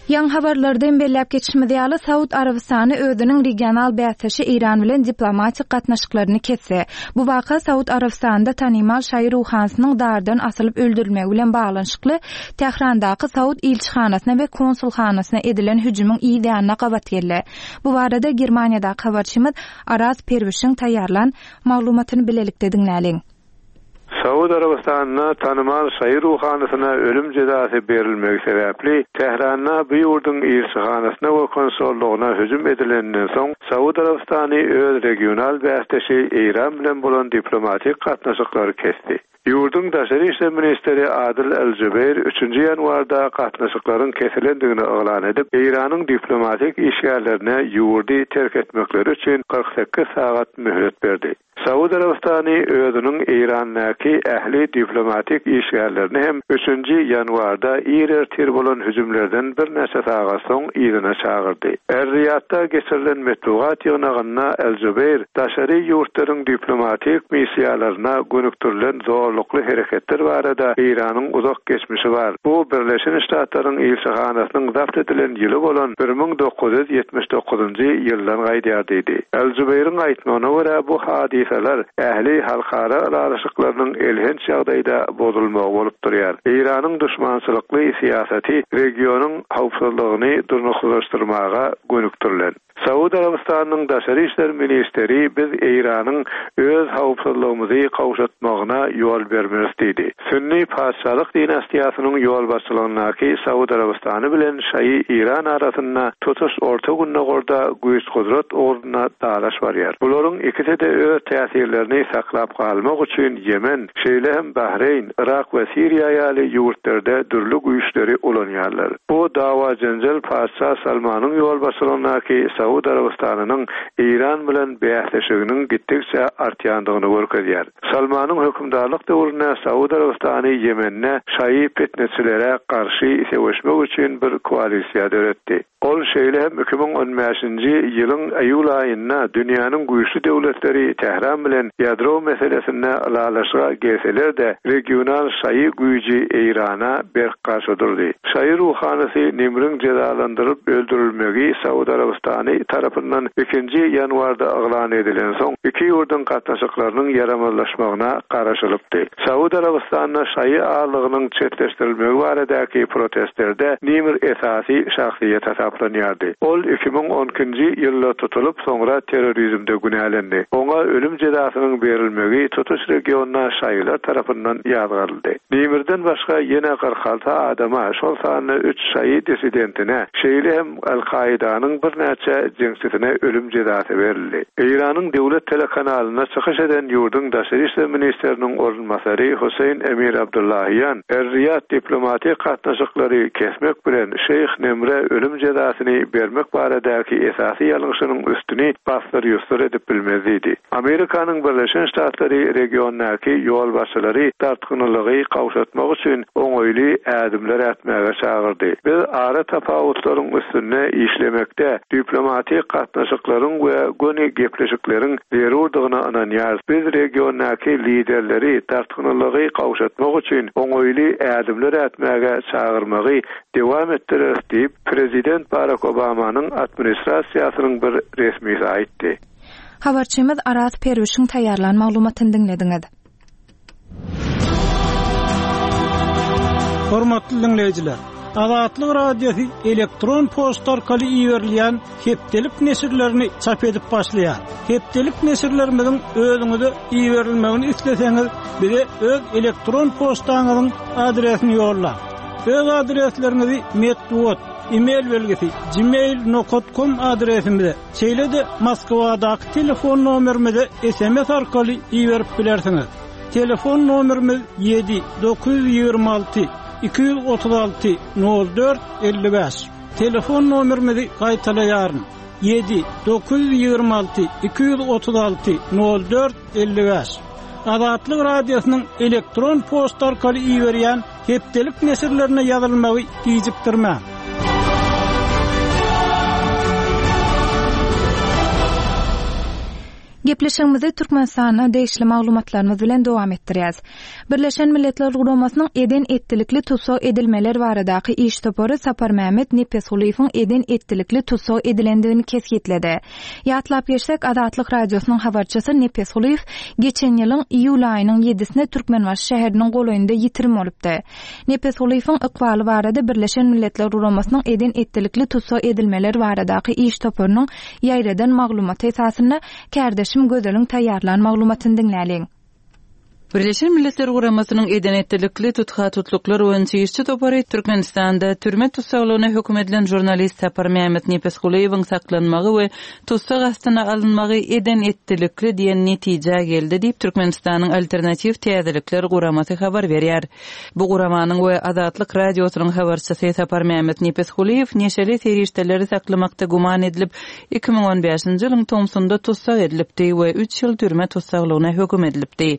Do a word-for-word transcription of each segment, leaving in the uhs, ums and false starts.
Ýaňy habarlarda hem belläp geçişimiz ýaly, Saud Arabystany özüniň regional bäsdeşi Eýran bilen diplomatik gatnaşyklaryny kesdi. Bu waka Saud Arabystanynda tanymal şaýy ruhanysynyň dardan asylyp öldürilmegi bilen baglanyşykly Tährandaky Saud ilçihanasyna we konsulhanasyna edilen hüjümiň yz ýanyna gabat geldi. Bu barada Germaniýadaky habarçymyz Araz Perwişiň taýýarlan maglumatyny bilelikde diňläliň. Saud Arabystanynda tanymal şaýy ruhanysyna ölüm jezasy berilmegi sebäpli Tähranda bu ýurduň ilçihanasyna we konsollugyna hüjüm edileninden soň Saud Arabystany öz regional bäsdeşi Eýran bilen bolan diplomatik gatnaşyklary kesdi. Ýurduň daşary işler ministri Adil El-Jubeýr üçünji ýanwarda gatnaşyklaryň kesilendigini yglan edip, Eýranyň diplomatik işgärlerine ýurdy terk etmekleri üçin kyrk sekiz sagat möhlet berdi. Saud Arabystany özüniň Eýrandaky ähli diplomatik işgärlerini hem üçünji ýanwarda ir ertir bolan hüjümlerden birnäçe sagat soň yzyna çagyrdy. Er-Riýadda geçirilen metbugat ýygnagynda El-Jubeýr daşary ýurtlaryň diplomatik missiýalaryna gönükdirilen zorlukly hereketler barada Eýranyň uzak geçmişi bar. Bu Birleşen Ştatlaryň ilçihanasynyň zabt edilen ýyly bolan bir müň dokuz ýüz ýetmiş dokuzynjy ýyldan gaýdýar diýdi. El-Jubeýriň aýtmagyna görä bu hadysalar ähli halkara ylalaşyklarynyň elhenç ýagdaýda bozulmagy bolup durýar. Eýranyň duşmançylykly syýasaty regionyň howpsuzlygyny durnuksyzlaşdyrmaga gönükdirilen. Saud Arabystanyň daşary işler ministeri biz Eýranyň öz howpsuzlygymyzy gowşatmagyna ýol bermeris diýdi. Sünni patyşalyk dinastiýasynyň ýolbaşçylygyndaky Saud Arabystany bilen Şaýy Eýran arasynda tutuş Orta Gündogarda güýç-gudrat ugrunda dalaş barýar. Bularyň ikisi-de öz täsirlerini saklap galmak üçin Ýemen, şeýle hem Bahreýn, Irak we Siriýa ýaly ýurtlarda dürli güýçleri ulanýarlar. Bu dawa jenjel patyşa Salmanyň ýolbaşçylygyndaky Saud Arabystanynyň Eýran bilen bäsleşiginiň gitdikçe artýandygyny görkezýär. Salmanyň hökümdarlyk döwründe Saud Arabystany Ýemende şaýy fitneçilere garşy söweşmek üçin bir koalisiýa döretdi. Ol şeýle hem iki müň on bäşinji ýylyň iýul aýynda dünýäniň güýçli döwletleri Tähran bilen ýadro meselesinde ylalaşyga gelseler-de regional şaýy güýji Eýrana berk garşy durdy. Şaýy ruhanysy Nimriň jezalandyryp öldürilmegi Saud Arabystany tarapyndan ikinji ýanwarda yglan edilen soň iki ýurduň gatnaşyklarynyň ýaramazlaşmagyna garaşylypdy. Saud Arabystanyna şaýy ağırlygynyň çetleşdirilmegi baradaky protestlerde Nimr esasy şahsyýet hasaplanýardy. Ol iki müň on ikinji ýylda tutulyp soňra terrorizmde günälendi. Oňa ölüm jezasynyň berilmegi tutuş regionda şaýylar tarapyndan ýazgaryldy. Nimirden başga ýene kyrk alty adama, şol sanda üç şaýy dissidentine, şeýle hem Al-Kaidanyň birnäçe jeňçisine ölüm jezasy berildi. Eýranyň döwlet telekanalyna çykyş eden ýurduň daşary işler ministriniň orunbasary Hüseýin Emir Abdullahian Er-Riýad diplomatik gatnaşyklary kesmek bilen Şeýh Nemre ölüm jezasyny bermek baradaky esasy ýalňyşynyň üstüni basdyr-ýusdur edip bilmez diýdi. Amerikanyň Birleşen Ştatlary regiondaky ýolbaşçylary dartgynlygy gowşatmak üçin oňaýly ädimler ätmäge çagyrdy. Biz ara tapawutlaryň üstünde işlemekde diplomatik gatnaşyklaryň we göni gepleşikleriň zerurdygyna ynanýarys. Biz regiondaky liderleri dartgynlygy gowşatmak üçin oňaýly ädimler ätmäge çagyrmagy dewam etdireris diýip, Prezident Barack Obamanyň administrasiýasynyň bir resmisi aýtdy. Habarçymyz Araz Perwişiň taýýarlan maglumatyny diňlediňiz. Hormatly dinleýjiler, Azatlyk Radiosy elektron poçta arkaly iberilýän hepdelik neşirlerini çap edip başlaýar. Hepdelik neşirlerimiziň özüňize iberilmegini isleseňiz, bize öz elektron poçtaňyzyň adresini ýollaň. Öz adresleriňizi metbugat, e-mail belgisi gmail nokta com adresimize, şeýle-de Moskwadaky telefon nomerimize S M S arkaly iberip bilersiňiz. Telefon nomerimiz ýedi dokuz ýüz ýigrimi alty iki ýüz otuz alty nol dört elli bäş. Telefon nomerimizi gaýtalaýaryn. Ýedi dokuz ýüz ýigrimi alty iki ýüz otuz alty nol dört elli bäş. Azatlyk Radiosynyň elektron poçta arkaly iberýän hepdelik neşirlerine ýazylmagy gijikdirmäň. Gepleşigimizi Türkmenistana degişli maglumatlarymyz bilen dowam etdirýäs. Birleşen Milletler Guramasynyň eden-etdilikli tussag edilmeler baradaky iş topary Saparmämmet Nepesgulyýewiň eden-etdilikli tussag edilendigini kesgitledi. Ýatlap geçsek, Azatlyk Radiosynyň habarçysy Nepesgulyýew geçen ýylyň iýul aýynyň ýedisine Türkmenbaşy şäheriniň golaýynda ýitirim bolupdy. Nepesgulyýewiň ykbaly barada Birleşen Milletler Guramasynyň eden-etdilikli tussag edilmeler baradaky iş toparynyň ýaýradan maglumaty esasynda kärdeşim Gözeliň taýýarlan maglumatyny diňläliň. Birleşen Milletler Guramasynyň eden-etdilikli tutha-tutluklar boýunça işçi topary Türkmenistanda türme tussaglygyna höküm edilen žurnalist Saparmämmet Nepesgulyýewiň saklanmagy we tussag astyna alynmagy eden-etdilikli diýen netijä geldi diýip, Türkmenistanyň Alternatiw täzelikler guramasy habar berýär. Bu guramanyň we Azatlyk Radiosynyň habarçysy Saparmämmet Nepesgulyýew neşeli serişdeleri saklamakda güman edilip, iki müň on bäşinji ýylyň tomsunda tussag edilipdi we üç ýyl türme tussaglygyna höküm edilipdi.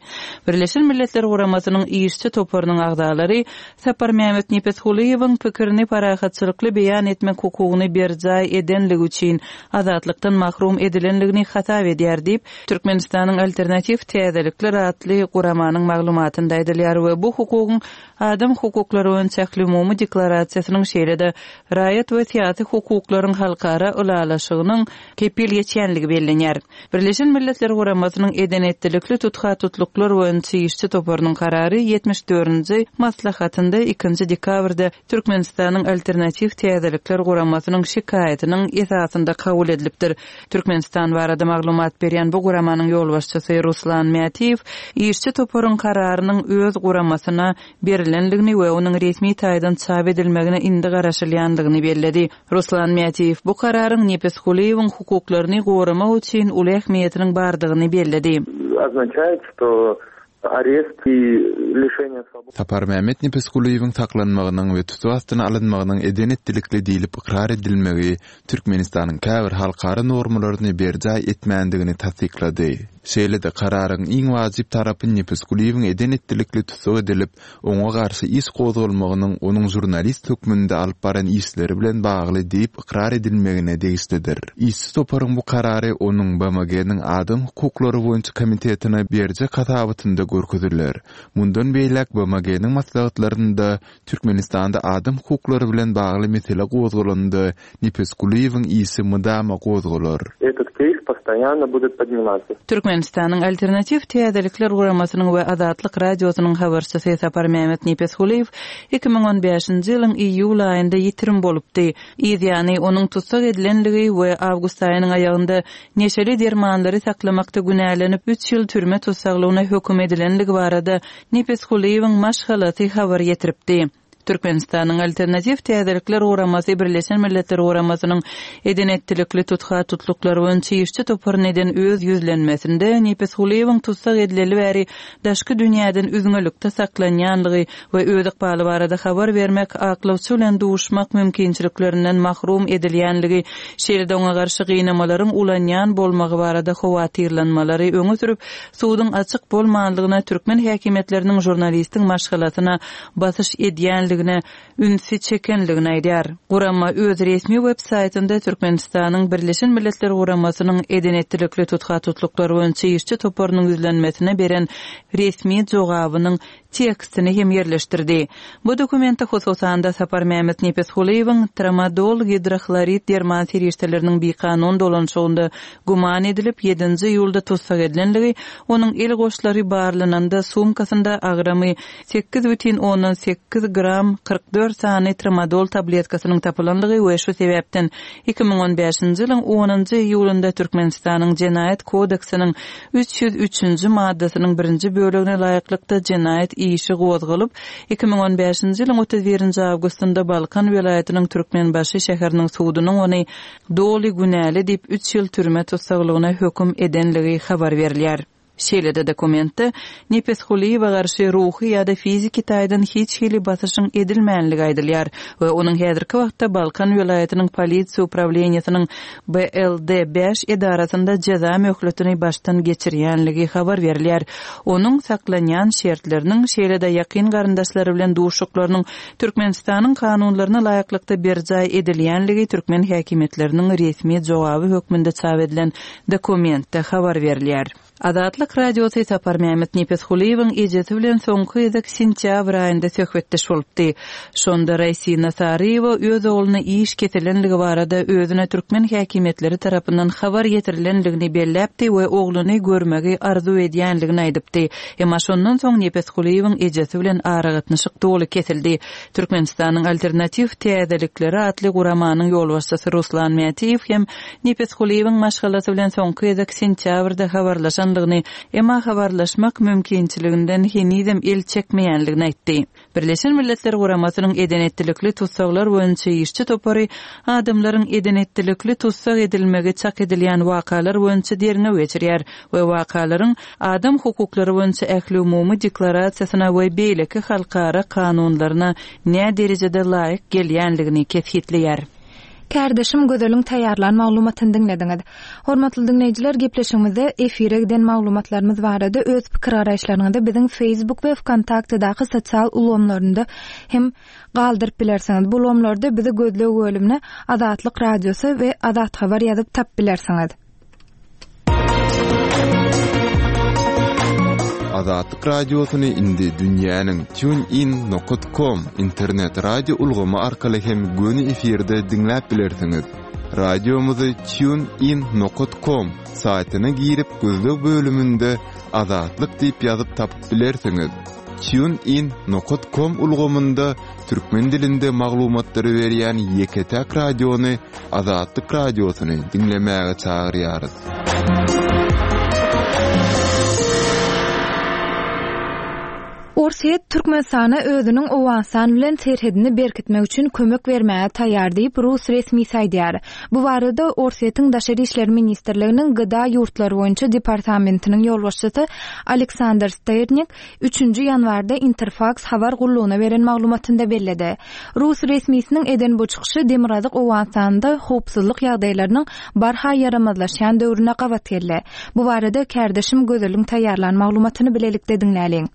Birleşen Milletler Guramasynyň işçi toparynyň agzalary Saparmämmet Nepesgulyýewiň pikirini parahatçylykly beýan etmek hukugyny berjaý edenligi üçin azatlykdan mahrum edilenligini hasap edýär diýip, Türkmenistanyň Alternatiw täzelikler atly guramanyň maglumatynda aýdylýar we bu hukugyň Adam hukuklary boýunça ählumumy deklarasiýasynyň şeýle-de Raýat we syýasy hukuklaryň halkara ylalaşygynyň kepil geçýänligi bellenýär. Birleşen Milletler Guramasynyň eden-etdilikli tutha-tutluklar boýunça işçi toparynyň karary ýetmiş dördünji maslahatynda ikinji dekabrda Türkmenistanyň Alternatiw täzelikler guramasynyň şikaýatynyň esasynda kabul edilipdir. Türkmenistan barada maglumat berýän bu guramanyň ýolbaşçysy Ruslan Mätiýew işçi toparyň kararynyň öz guramasyna berilendigini we onuň resmi taýdan çap edilmegine indi garaşylýandygyny belledi. Ruslan Mätiýew bu kararyň Nepesgulyýewiň hukuklaryny goramak üçin uly ähmiýetiniň bardygyny belledi. Oznaçaýet, şto arest i lişeniýe swobody. Saparmämmet Nepesgulyýewiň saklanmagynyň we tussag astyna alynmagynyň eden-etdilikli diýlip ykrar edilmegi Türkmenistanyň käbir halkara normalaryny berjaý etmändigini tassyklady. Şeýle-de kararyň iň wajyp tarapy Nepesgulyýewiň eden-etdilikli tussag edilip, oňa garşy iş gozgalmagynyň onuň žurnalist hökmünde alyp baran işleri bilen bagly diýip ykrar edilmegine degişlidir. Işçi toparyň bu karary onuň B M G-niň Adam hukuklary boýunça komitetine berjek hasabatynda görkeziler. Mundan beýläk B M G-niň maslahatlarynda Türkmenistanda adam hukuklary bilen bagly mesele gozgalanda Nepesgulyýewiň işi mydama gozgalar. Этот кейс постоянно будет подниматься. Türkmenistanyň Alternatiw täzelikler guramasynyň we Azatlyk Radiosynyň habarçysy Saparmämmet Nepesgulyýew iki müň on bäşinji ýylyň iýul aýynda ýitirim bolupdy. Yz ýany onuň tussag edilenligi we awgust aýynyň aýagynda neşeli dermanlary saklamakda günälenip üç ýyl türme tussaglygyna höküm edilenligi barada Nepesgulyýewiň maşgalasy habar ýetiripdi. Türkmenistanyň Alternatiw täzelikler guramasy Birleşen Milletler Guramasynyň eden-etdilikli tutha-tutluklar boýunça işçi toparyny eden öz ýüzlenmesinde Nepesgulyýewiň tussag edileli bäri daşky dünýäden üzňelikde saklanýanlygy we öz ykbaly barada habar bermek, aklawçy bilen duşmak mümkinçiliklerinden mahrum edilýänligi, şeýle-de oňa garşy gynamalaryň ulanýan bolmagy barada howatyrlanmalary öňe sürüp, suduň açyk bolmanlygyna türkmen häkimiýetleriniň žurnalistiň maşgalasyna basyş edýänligine ünsi çekenligini aýdýar. Gurama öz resmi web saýtynda Türkmenistanyň Birleşen Milletler Guramasynyň eden-etdilikli tutha-tutluklar boýunça işçi toparynyň ýüzlenmesine beren resmi jogabynyň tekstini hem ýerleşdirdi. Bu dokumentde hususan-da Saparmämmet Nepesgulyýewiň tramadol gidrohlorid derman serişdeleriniň bikanun dolanşygynda güman edilip ýedinji iýulda tussag edilenligi, onuň el goşlary barlananda sumkasynda agramy sekiz bütin ondan sekiz gram kyrk dört sany tramadol tabletkasynyň tapylanlygy we şu sebäpden iki müň on bäşinji ýylyň onunjy iýulynda Türkmenistanyň Jenaýat kodeksiniň üç ýüz üçünji maddasynyň birinji bölegine laýyklykda jenaýat işi gozgalyp, iki müň on bäşinji ýylyň otuz birinji awgustynda Balkan welaýatynyň Türkmenbaşy şäheriniň sudunyň ony doly günäli diýip üç ýyl türme tussaglygyna höküm edenligi habar berilýär. Şeýle-de dokumentde Nepesgulyýewe garşy ruhy ýa-da fiziki taýdan hiç hili basyşyň edilmänligi aýdylýar we onuň häzirki wagtda Balkan welaýatynyň polisiýa uprawleniýesiniň B L D bäş edarasynda jeza möhletini başdan geçirýänligi habar berilýär. Onuň saklanýan şertleriniň, şeýle-de ýakyn garyndaşlary bilen duşuşyklarynyň Türkmenistanyň kanunlaryna laýyklykda berjaý edilýänligi türkmen häkimiýetleriniň resmi jogaby hökmünde çap edilen dokumentde habar berilýär. Azatlyk Radiosy Saparmämmet Nepesgulyýewiň ejesi bilen soňky gezek sentýabr aýynda söhbetdeş bolupdy. Şonda Raýsina Saryýewa öz ogluna iş kesilenligi barada özüne türkmen häkimiýetleri tarapyndan habar ýetirilenligini belläpdi we ogluny görmegi arzuw edýänligini aýdypdy. Emma şondan soň Nepesgulyýewiň ejesi bilen aragatnaşyk doly kesildi. Türkmenistanyň Alternatiw täzelikleri atly guramanyň ýolbaşçysy Ruslan Mätiýew hem Nepesgulyýewiň maşgalasy bilen soňky gezek sentýabrda habarlaşanlygyny, emma habarlaşmak mümkinçiliginden henizem el çekmeýänligini aýtdy. Birleşen Milletler Guramasynyň eden-etdilikli tussaglar boýunça işçi topary adamlaryň eden-etdilikli tussag edilmegi çak edilýän wakalar boýunça derňew geçirýär we wakalaryň adam hukuklary boýunça ähliumumy deklarasiýasyna we beýleki halkara kanunlaryna nä derejede laýyk gelýänligini kesgitleýär. Kärdeşim Gözeliň taýýarlan maglumatyny diňlediňiz. Hormatly diňleýjiler, gepleşigimizde efire giden maglumatlarymyz barada öz pikir garaýyşlaryňyzy biziň Facebook we VKontaktedaky sosial ulgamlarynda hem galdyryp bilersiňiz. Bu ulgamlarda bizi gözleg bölümine Azatlyk Radiosy we Azat Habar ýazyp tap bilersiňiz. Azatlyk Radiosyny indi dünýäniň tunein nokta com internet radio ulgamy arkaly hem göni efirde diňläp bilersiňiz. Radiomyzy tunein nokta com saýtyna girip gözleg bölüminde Azatlyk diýip ýazyp tapyp bilersiňiz. tunein nokta com ulgamynda türkmen dilinde maglumatlary berýän ýeke-täk radiony Azatlyk Radiosyny diňlemäge çagyrýarys. Orsýet Türkmenistana özüniň Owganystan bilen serhedini berkitmek üçin kömek bermäge taýýar diýip rus resmisi aýdýar. Bu barada Orsýetiň Daşary işler ministrliginiň G D A ýurtlary boýunça departamentiniň ýolbaşçysy Aleksandr Sternik üçünji ýanwarda Interfax habar gullugyna beren maglumatynda belledi. Rus resmisiniň eden bu çykyşy Demirgazyk Owganystanda howpsuzlyk ýagdaýlarynyň barha ýaramazlaşýan döwrüne gabat geldi. Bu barada kärdeşim Gözeliň taýýarlan maglumatyny bilelikde diňläliň.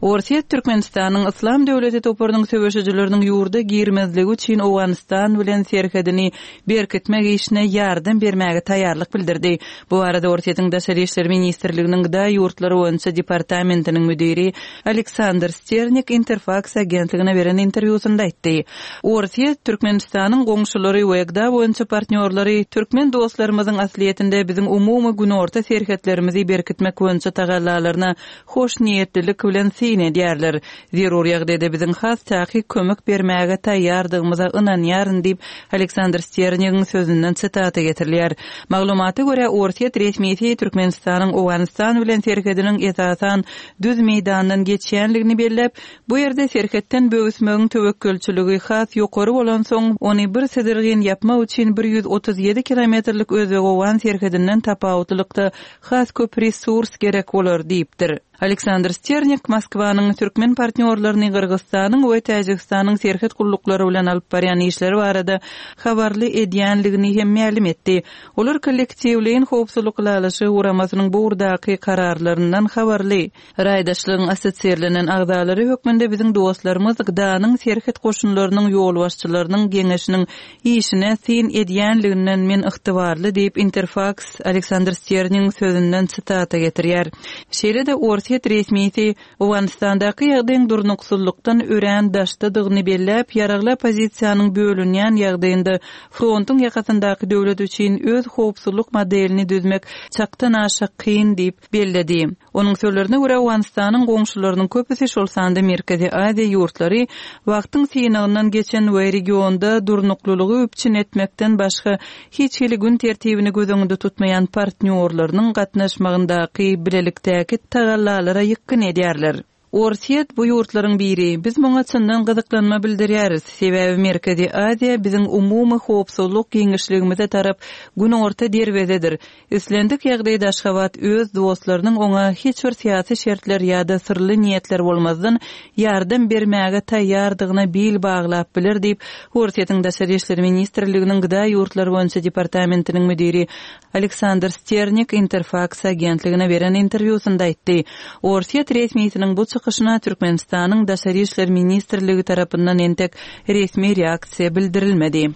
Orsýet Türkmenistanyň Yslam döwleti toparynyň söweşijileriniň ýurda girmezligi üçin Owganystan bilen serhedini berkitmek işine ýardam bermäge taýýarlyk bildirdi. Bu arada Orsýetiň Daşary işler ministrliginiň G D A ýurtlary boýunça departamentiniň müdiri Aleksandr Sternik Interfax agentligine beren interwýusynda aýtdy. Orsýet Türkmenistanyň goňşulary we G D A boýunça partnýorlary türkmen dostlarymyzyň aslyýetinde biziň umumy günorta serhetlerimizi berkitmek boýunça tagallalaryna hoşniýetlilik bilen syn edýärler. Zerur ýagdaýda biziň has takyk kömek bermäge taýýardygymyza ynanýaryn diýip Aleksandr Sternigiň sözünden sitata getirilýär. Maglumata görä Orsýet resmisi Türkmenistanyň Owganystan bilen serhediniň esasan düz meýdandan geçýänligini belläp, bu ýerde serhetden böwüsmegiň töwekgelçiligi has ýokary bolansoň, ony bir syzyrgyn ýapmak üçin bir ýüz otuz ýedi kilometrlik Özbek-Owgan serhedinden tapawutlylykda has köp resurs gerek bolar diýipdir. Aleksandr Sternik Moskwanyň türkmen partnýorlaryny Gyrgyzystanyň we Täjigistanyň serhet gulluklary bilen alyp barýan işleri barada habarly edýänligini hem mälim etdi. Olar kollektiwleýin howpsuzlyk ylalaşygy guramasynyň bu ugurdaky kararlaryndan habarly. Raýdaşlygyň assosirlenen agzalary hökmünde biziň dostlarymyz G D A-nyň serhet goşunlarynyň ýolbaşçylarynyň geňeşiniň işine syn edýänliginden men ygtybarly diýip Interfax Aleksandr Sternigiň sözünden sitata getirýär. Şeýle-de Orsýet resmisi Owganystandaky ýagdaýyň durnuksyzlykdan örän daşdadygyny belläp, ýaragly oppozisiýanyň bölünýän ýagdaýynda frontuň ýakasyndaky döwlet üçin öz howpsuzlyk modelini düzmek çakdan aşa kyn diýip belledi. Onuň sözlerine görä Owganystanyň goňşularynyň köpüsi şol sanda Merkezi Aziýa ýurtlary wagtyň synagyndan geçen we regionda durnuklylygy üpjün etmekden başga hiç hili gün tertibini göz öňünde tutmaýan partnýorlarynyň gatnaşmagyndaky bilelikdäki tagallalara ýykgyn edýärler. Orsýet bu ýurtlaryň biri. Biz muňa çyndan gyzyklanma bildirýäris. Sebäbi Merkezi Aziýa biziň umumy howpsuzlyk giňişligimize tarap günorta derwezedir. Islendik ýagdaýda Aşgabat öz dostlarynyň oňa hiç bir syýasy şertler ýa-da syrly niýetler bolmazdan ýardam bermäge taýýardygyna bil baglap biler diýip, Orsýetiň Daşary işler ministrliginiň Gda ýurtlary boýunça departamentiniň müdiri Aleksandr Sternik Interfaks agentligine beren interwýusynda aýtdy. Orsýet resmisiniň bu çykyşyna Türkmenistanyň Daşary işler ministrligi tarapyndan entek resmi reaksiýa bildirilmedi.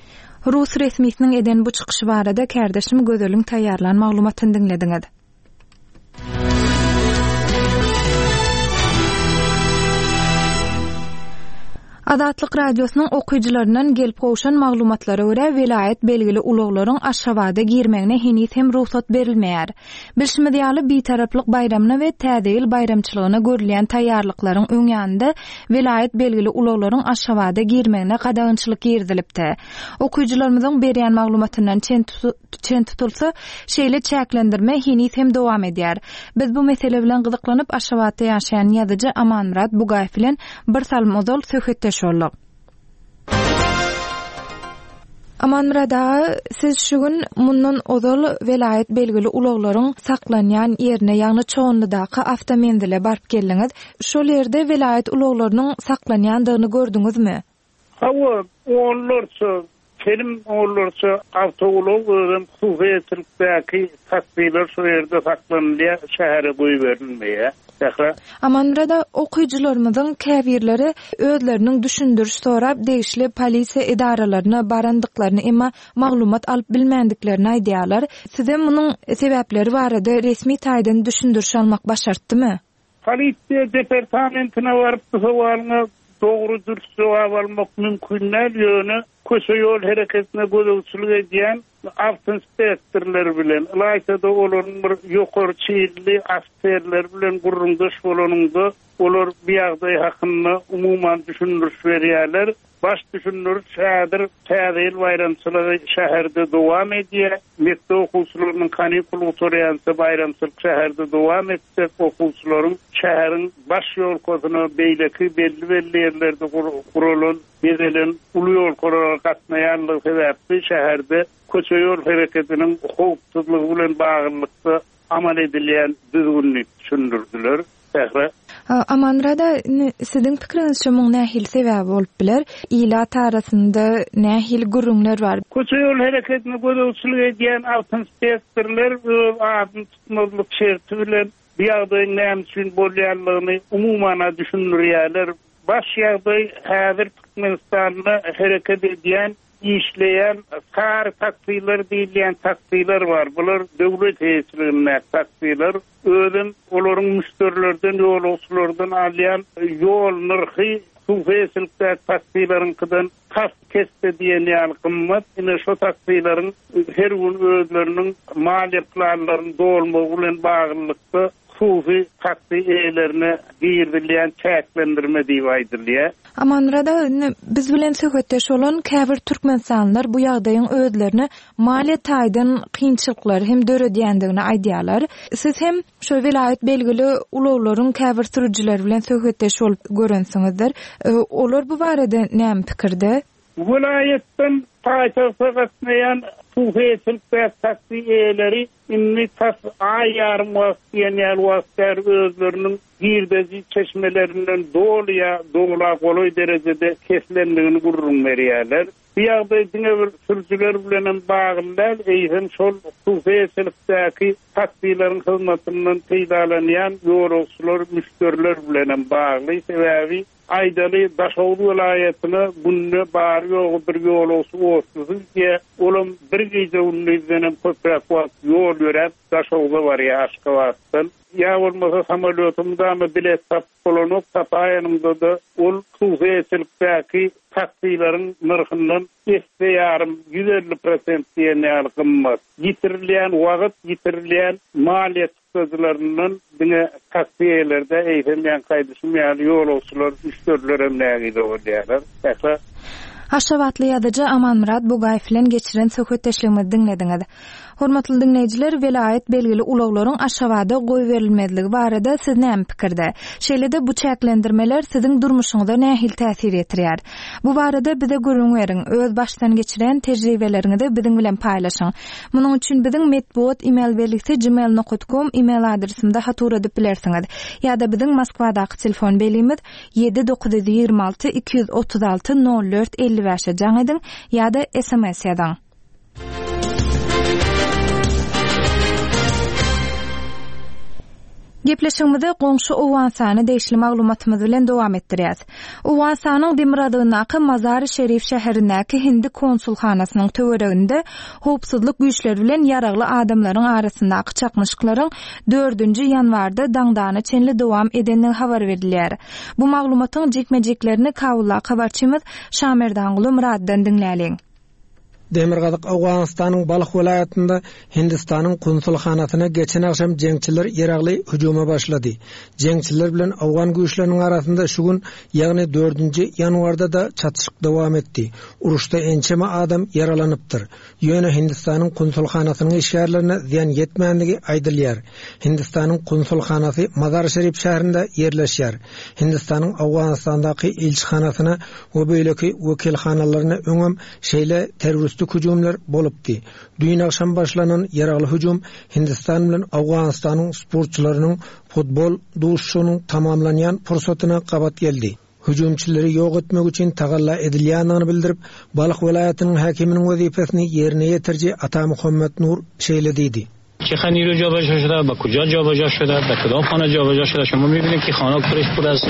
Rus resmisiniň eden bu çykyşy barada kärdeşim Gözeliň taýýarlan maglumatyny diňlediňiz. Azatlyk Radiosynyň okyjylaryndan gelip gowşan maglumatlara görä, welaýat belgili ulaglaryň Aşgabada girmegine heniz hem rugsat berilmeýär. Bilşimiz ýaly, Bitaraplyk baýramyna we Täze ýyl baýramçylygyna görülýän taýýarlyklaryň öň ýanynda welaýat belgili ulaglaryň Aşgabada girmegine gadagançylyk girizilipdi. Okyjylarymyzyň berýän maglumatyndan çen çen tutulsa, şeýle çäklendirme heniz hem dowam edýär. Biz bu mesele bilen gyzyklanyp Aşgabatda ýaşaýan ýazyjy Amanmyrat Bugaýew bilen bir salym ozal söhbetdeş bolduk. Amanmyrat aga, siz şu gün mundan ozal welaýat belgili ulaglaryň saklanýan ýerine, ýagny Çoganlydaky awtomenzile baryp geldiňiz. Şol ýerde welaýat ulaglarynyň saklanýandygyny gördüňizmi? Hawa, onlarça, telim onlarça awtoulag özem hususyýetçilikdäki taksiler şu ýerde saklanylýar, şähere goýberilmeýär. Sähra. Amanmyrat aga, okyjylarymyzyň käbirleri özleriniň düşündiriş sorap degişli polisiýa edaralaryna barandyklaryny, emma maglumat alyp bilmändiklerini aýdýarlar. Size munuň sebäpleri barada resmi taýdan düşündiriş almak başartdymy? Polisiýa departamentine baryp bu sowalyňa dogry dürs jogap almak mümkin däl, ýöne köçe ýol hereketine gözegçilik edýän awtoinspektorlar bilen, ylaýta-da olaryň bir ýokary çeýilli ofiserler bilen gürrüňdeş bolanynda olar bu ýagdaý hakynda umuman düşündiriş berýärler. Baş düşündiriş häzir Täze ýyl baýramçylygy şäherde dowam edýär. Mekdep okuwçylarynyň kanikul gutarýança baýramçylyk şäherde dowam etjek, okuwçylaryň şäheriň baş ýolkasyna beýleki belli-belli ýerlerde guralan, bezelen uly ýolkalara gatnaýanlygy sebäpli şäherde köçe ýol hereketiniň howpsuzlygy bilen baglylykda amal edilýän düzgünini düşündirdiler. Sähra. Amanmyrat aga, indi siziň pikiriňizçe muň nähili sebäbi bolup biler? Ilat arasynda nähili gürrüňler bar? Köçe ýol hereketine gözegçilik edýän awtoinspektorlar öz adyny tutmazlyk şerti bilen bu ýagdaýyň näme üçin bolýanlygyny umuman düşündirýärler. Baş ýagdaý häzir Türkmenistanda hereket edýän, işleýän sary taksiler diýilýän taksiler bar. Bular döwlet eýeçiligindäki taksiler. Özem olaryň müşderilerden, ýolagçylardan alýan ýol nyrhy hususyýetçilikdäki taksileriňkiden tas kesde diýen ýaly gymmat. Ine şu taksileriň her gün özleriniň maliýe planlaryny dolmagy bilen baglylykda hususy taksi eýelerine girizilýän çäklendirme diýip aýdylýar. Amanmyrat aga, indi biz bilen söhbetdeş bolan käbir türkmenistanlylar bu ýagdaýyň özlerine maliýe taýdan kynçylyklary hem döredýändigini aýdýarlar. Siz hem şu welaýat belgili ulaglaryň käbir sürüjileri bilen söhbetdeş bolup görensiňizdir. E, olar bu barada näme pikirde? Welaýatdan paýtagta gatnaýan hususyýetçilikdäki taksi eýeleri indi tas aý ýarym wagt diýen ýaly wagt bäri özleriniň girdeji çeşmelerinden doly ýa dola golaý derejede kesilendigini gürrüň berýärler. Bu ýagdaý diňe bir sürüjiler bilen hem bagly däl, eýsem şol hususyýetçilikdäki taksileriň hyzmatyndan peýdalanýan ýolagçylar, müşderiler bilen hem bagly. Sebäbi aýdaly Daşoguz welaýatyna günde bary ýogy bir ýolagçy otlusy diýe, olam bir gije gündizden hem köpräk wagt ýol ýöräp Daşoguza barýar Aşgabatdan. Ýa bolmasa samolýoty mudama bilet tapyp bolanok, tapaýanynda-da ol hususyýetçilikdäki taksileriň nyrhyndan esse ýarym ýüz elli prosent diýen ýaly gymmat. Ýitirilýän wagt, ýitirilýän maliýe çykdajylaryndan diňe taksi eýelerde eýsem ýan gaýdyşym ýaly ýolagçylar, müşderiler hem nägile bolýarlar. Sähra. Aşgabatly ýazyjy Amanmyrat Bugaýew bilen geçiren söhbetdeşligimizi diňlediňiz. Hormatly diňleýjiler, welaýat belgili ulaglaryň Aşgabada goýberilmezligi barada siz näme pikirde? Şeýle-de bu çäklendirmeler siziň durmuşyňyza nähili täsir ýetirýär? Bu barada bize gürrüň beriň, öz başdan geçiren tejribeleriňizi biziň bilen paýlaşyň. Munuň üçin biziň metbugat email belgisi gmail nokta com email adresimize hat ugradyp bilersiňiz. Ýa-da biziň Moskwadaky telefon belgimiz ýedi dokuz ýüz ýigrimi alty iki ýüz otuz alty nol dört elli bäşe jaň ediň ýa-da S M S ýazyň. Gepleşigimizi goňşy Owganystana degişli maglumatymyz bilen dowam etdirýäs. Owganystanyň demirgazygyndaky Mazar-i Şerif şäherindäki Hindi konsulhanasynyň töwereginde howpsuzlyk güýçleri bilen ýaragly adamlaryň arasyndaky çaknyşyklaryň dördünji ýanwarda daňdana çenli dowam edendigi habar berilýär. Bu maglumatyň jikme-jiklerini Kabuldaky habarçymyz Şamerdanguly Muraddan diňläliň. Demirgazyk Owganystanyň Balh welaýatynda Hindistanyň konsulhanasyna geçen agşam jeňçiler ýaragly hüjüme başlady. Jeňçiler bilen Owgan güýçleriniň arasynda şu gün, ýagny dördünji ýanwarda da çatyşyk dowam etdi. Uruşda ençeme adam ýaralanypdyr. Ýöne Hindistanyň konsulhanasynyň işgärlerine zyýan ýetmändigi aýdylýar. Hindistanyň konsulhanasy Mazar-Şerif şäherinde ýerleşýär. Hindistanyň Owganystandaky ilçihanasyna we beýleki wekilhanalaryna öňem şeýle terrorist hüjümler bolupdy. Düýn agşam başlanan ýaragly hüjüm Hindistan bilen Owganystanyň sportçylarynyň futbol duşuşygynyň tamamlanýan pursatyna gabat geldi. Hüjümçileri ýok etmek üçin tagalla edilýändigini bildirip, Balh welaýatynyň häkiminiň wezipesini ýerine ýetiriji Ata Muhammed Nur şeýle diýdi. Çe niru jobaja şuda, ba kuja jobaja şuda, ba kudam xana jobaja şuda, şuma mibinin ki xana kureş puraz.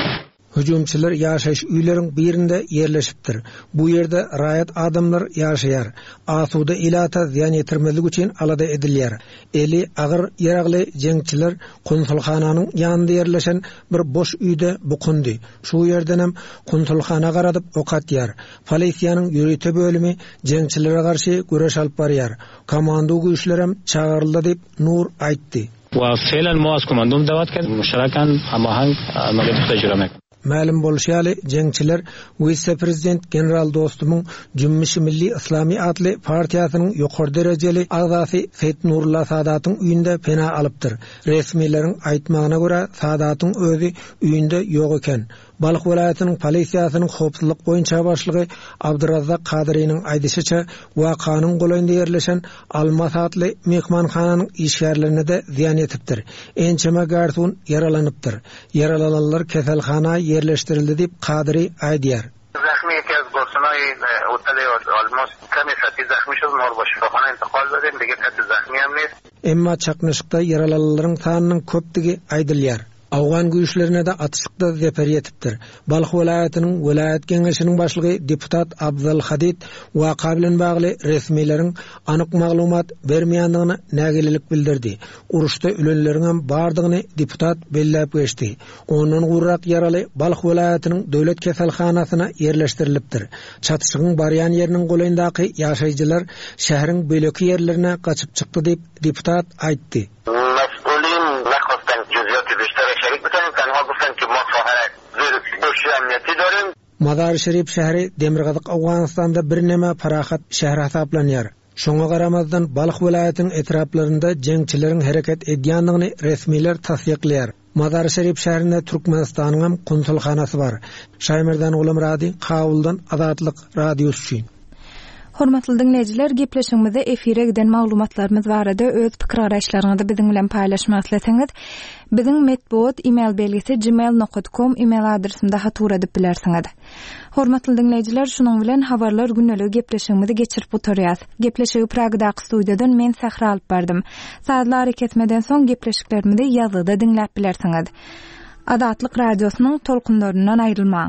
Hüjümçiler ýaşaýyş öýleriň birinde ýerleşipdir. Bu ýerde raýat adamlar ýaşaýar. Asuda ilata zyýan ýetirmezlik üçin alada edilýär. Eli agyr ýaragly jeňçiler konsulhananyň ýanynda ýerleşen bir boş öýde bukundy. Şu ýerdenem konsulhana garadyp ok atýar. Polisiýanyň ýörite bölümi jeňçilere garşy göreş alyp barýar. Komando güýçlerem çagyryldy diýip Nur aýtdy. Wa felan muaz komandom dawat ked müşterakan hamahang amaliyat tejrübe mek. Mälim bolşy ýaly, jeňçiler wise-prezident General Dostumyň Jümmüşi Milli Islami atly partiýasynyň ýokary derejeli agzasy Seýit Nurullah Sadatyň öýünde pena alypdyr. Resmileriň aýtmagyna görä, Sadatyň özi öýünde ýok eken. Balh welaýatynyň polisiýasynyň howpsuzlyk boýunça başlygy Abdyrazzak Kadyrynyň aýdyşyça, wakanyň golaýynda ýerleşen Almas atly mehmanhananyň işgärlerine de zyýan ýetipdir. Ençeme garson ýaralanypdyr. Ýaralananlar keselhana ýerleşdirildi diýip Kadyry aýdýar. زخمی یکی از گارسونای هتل آلماس کمی سطحی زخمی شد، ما رو با شفاخانه انتقال دادیم، دیگه کسی زخمی هم نیست. Emma çaknyşykda ýaralananlaryň sanynyň köpdügi aýdylýar. Awgan güýçlerine de atyşykda zeper ýetipdir. Balh welaýatynyň welaýat geňeşiniň başlygy deputat Abzal Hadid waka bilen bagly resmileriň anyk maglumat bermeýändigini nägilelik bildirdi. Uruşda ölenleriň hem bardygyny deputat belläp geçdi. Ondan gurrak ýaraly Balh welaýatynyň döwlet keselhanasyna ýerleşdirilipdir. Çatyşygyň barýan ýeriniň golaýyndaky ýaşaýjylar şäheriň beýleki ýerlerine gaçyp çykdy diýip deputat aýtdy. Mazar-ı Şerif şäheri Demirgazyk Owganystanda birneme parahat şäher hasaplanýar. Şoňa garamazdan Balh welaýatynyň etraplarynda jeňçileriň hereket edýändigini resmiler tassyklaýar. Mazar-ı Şerif şäherinde Türkmenistanyň hem konsulhanasy bar. Şaýmerdan Gulamrady, Kabuldan Azatlyk Radiosy üçin. Hormatly diňleýjiler, gepleşigimizde efire giden maglumatlarymyz barada öz pikir garaýyşlaryňyzy biziň bilen paýlaşmak isleseňiz, biziň metbugat email belgisi gmail nokta com email adresinde hat ugradyp bilersiňiz. Hormatly diňleýjiler, şunuň bilen habarlar gündelik gepleşigimizi geçirip oturýas. Gepleşigi Pragdaky studiýadan men Sähra alyp bardym. Sazlar kesmeden soň gepleşiklerimizi ýazgyda diňläp bilersiňiz. Azatlyk radiosynyň tolkunlaryndan aýrylmaň.